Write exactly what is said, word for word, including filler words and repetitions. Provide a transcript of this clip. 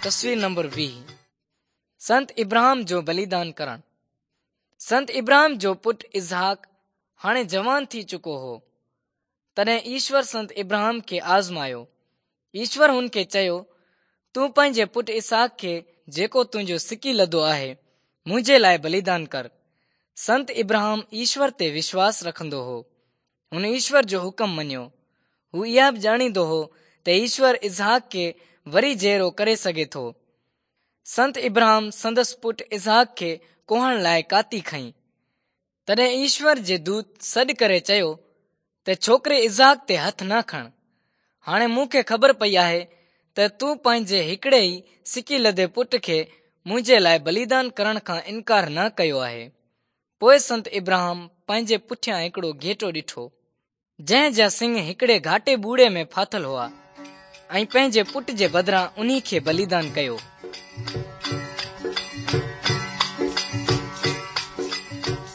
تصوير نمبر ويهه. سنت ابراهم جو بليدان ڪرڻ. سنت ابراهم جو پٽ اسحاق هاڻي جوان ٿي چڪو هو. تڏهن ايشور سنت ابراهم کي آزمايو. ايشور هن کي چيو، تون پنهنجي پٽ اسحاق کي، جيڪو تنهنجو سڪيلڌو آهي، منهنجي لاءِ بليدان ڪر. سنت ابراهم ايشور تي وشواس رکندو هو. هن ايشور جو حڪم مڃيو. هو اها به ڄاڻيندو هو ته ايشور اسحاق کي وري جيئرو ڪري سگهي ٿو. سنت ابراهم سندس پٽ اسحاق کي ڪهڻ لاءِ ڪاتي کنئي. تڏهن ايشور جي دوت سڏ ڪري چيو ته ڇوڪري اسحاق تي هٿ نه کڻ. هاڻي مون کي خبر پئي آهي ته تون پنهنجي هڪڙي ئي سڪيلڌي پٽ کي منهنجي لاءِ بليدان ڪرڻ کان انڪار نه ڪيو آهي. پوءِ سنت ابراهم پنهنجي پٺيان هڪڙو گهيٽو ڏٺو، جنهن جا سڱ هڪڙي گهاٽي ٻوڙي ۾ ڦاٿل هئا، ۽ پنهنجي پٽ جي بدران انهي کي بليدان ڪيو.